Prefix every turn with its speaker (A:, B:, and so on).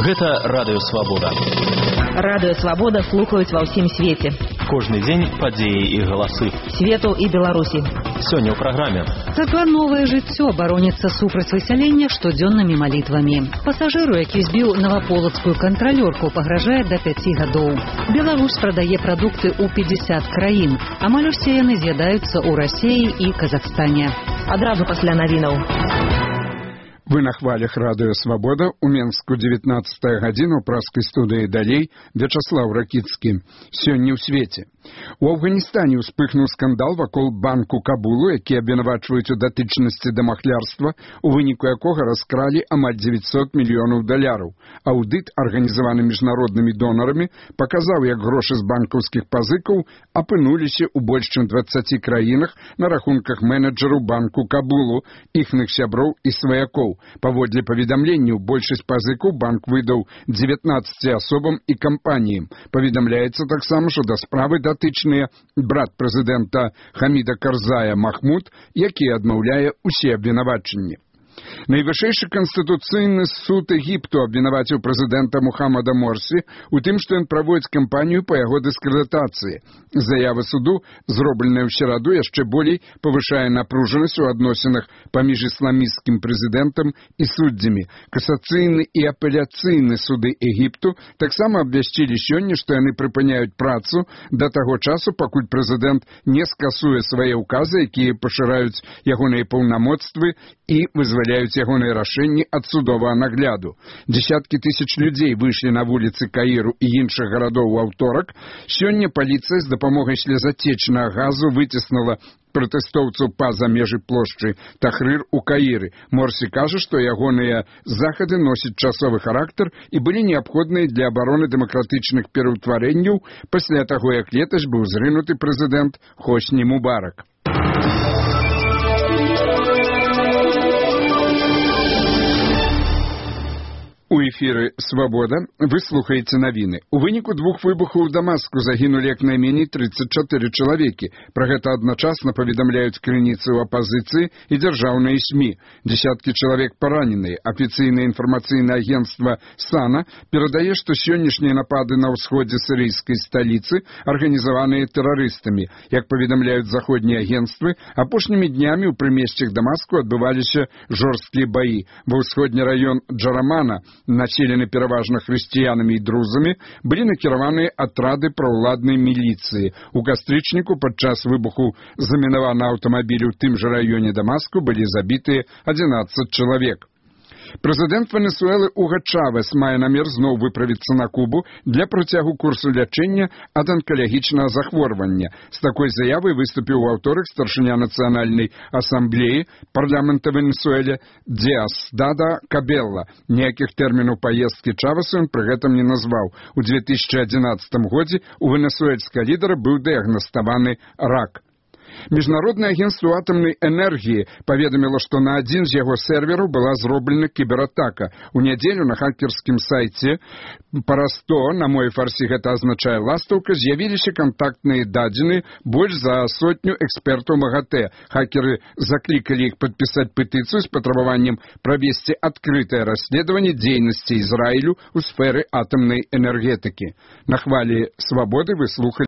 A: Гэта Радыё Свабода.
B: Радыё Свабода слухаюць ва ўсім свеце.
A: Кожны дзень падзеі і галасы.
B: Свету і Беларусі.
A: Сёння ў праграме.
B: Царква «Новае жыццё» бароніцца супраць высялення штодзённымі малітвамі. Пасажыру, які збіў наваполацкую кантралёрку, пагражае да 5 гадоў. Беларусь прадае прадукты ў 50 краін. Амаль усе яны з'ядаюцца ў Расіі і Казахстане. Адразу пасля навінаў.
C: Вы на хвалях Радыё Свабода. У Менску 19 гадзіна, у праскай студыі далей Вячаслаў Ракіцкі. Сёння ў свеце. У Афганістане ўспыхнуў скандал вакол банку Кабулу, які абвінавачваюць у датычнасці да махлярства, у выніку якога раскралі амаль 900 мільёнаў даляраў. Аўдыт, арганізаваны міжнароднымі донарамі, паказаў, як грошы з банкаўскіх пазыкаў апынуліся ў больш чым 20 краінах на рахунках менеджераў банку Кабулу, іхных сяброў і сваякоў. Паводле паведамленняў, большасць пазыкаў банк выдаў 19 асобам і кампаніям. Паведамляецца таксама, што да справы датычныя брат прэзідэнта Хаміда Карзая Махмуд, які адмаўляе ўсе абвінавачанні. Найвышэйшы канстытуцыйны суд Егіпту абвінаваціў прэзідэнта Мухаммада Морсі у тым, што ён праводзіць кампанію па яго дыскрэдытацыі. Заява суду, зробленая ў сераду, яшчэ болей павышае напружанасць у адносінах паміж ісламісцкім прэзідэнтам і суддзямі. Касацыйны і апеляцыйны суды Егіпту таксама абвясцілі сёння, што яны прыпыняюць працу да таго часу, пакуль прэзідэнт не скасуе свае ўказы, якія пашыраюць ягоныя паўнамоцтвы і вызваляюць ягоныя рашэнні ад судовага нагляду. Дзесяткі тысяч людзей выйшлі на вуліцы Каіру і іншых гарадоў у аўторак. Сёння паліцыя з дапамогай слезатечнага газу выціснула пратэстоўцаў па-за межы плошчы Тахрыр у Каіры. Морсі кажа, што ягоныя захады носяць часовы характар і былі неабходныя для абароны дэмакратычных пераўтварэнняў пасля таго, як летась быў зрынуты прэзідэнт Хосні Мубарак. У эфіры «Свабода» вы слухаеце навіны. У выніку 2 выбухаў у Дамаску загінулі як найменей 34 чалавекі. Пра гэта адначасна паведамляюць крыніцы ў апазіцыі і дзяржаўныя СМІ. Дзесяткі чалавек параненыя. Афіцыйнае інфармацыйнае агенцтва САНА перадае, што сённяшнія напады на ўсходзе сірыйскай сталіцы арганізаваныя тэрарыстамі. Як паведамляюць заходнія агенцтвы, апошнімі днямі ў прымесцях Дамаску адбываліся жорсткія баі. Ва ўсходні раён Джарамана, населены пераважна хрысціянамі і друзамі, былі накіраваныя атрады праўладнай міліцыі. У кастрычніку падчас выбуху замінаванага аўтамабіля ў тым жа раёне Дамаску былі забітыя 11 чалавек. Прэзідэнт Венесуэлы Уга Чавес мае намер зноў выправіцца на Кубу для працягу курсу лячэння ад анкалагічнага захворвання. З такой заявай выступіў у аўторак старшыня нацыянальнай асамблеі парламента Венесуэле Диасдада Кабелла. Ніякіх тэрмінаў паездкі Чавесу ён пры гэтым не назваў. У 2011 годзе у венесуэльскага лідара быў дыягнаставаны рак. Міжнароднае агенцтва атамнай энергіі паведаміла, што на адзін з яго сервераў была зроблена кібератака. У нядзелю на хакерскім сайце Парасто, на мой фарсі гэта азначае ластаўка, з'явіліся кантактныя дадзеныя больш за 100 экспертаў МАГАТЭ. Хакеры заклікалі іх падпісаць петыцыю з патрабаваннем правесці адкрытае расследаванне дзейнасці Ізраілю ў сферы атамнай энергетыкі. На хвалі Свабоды вы слухалі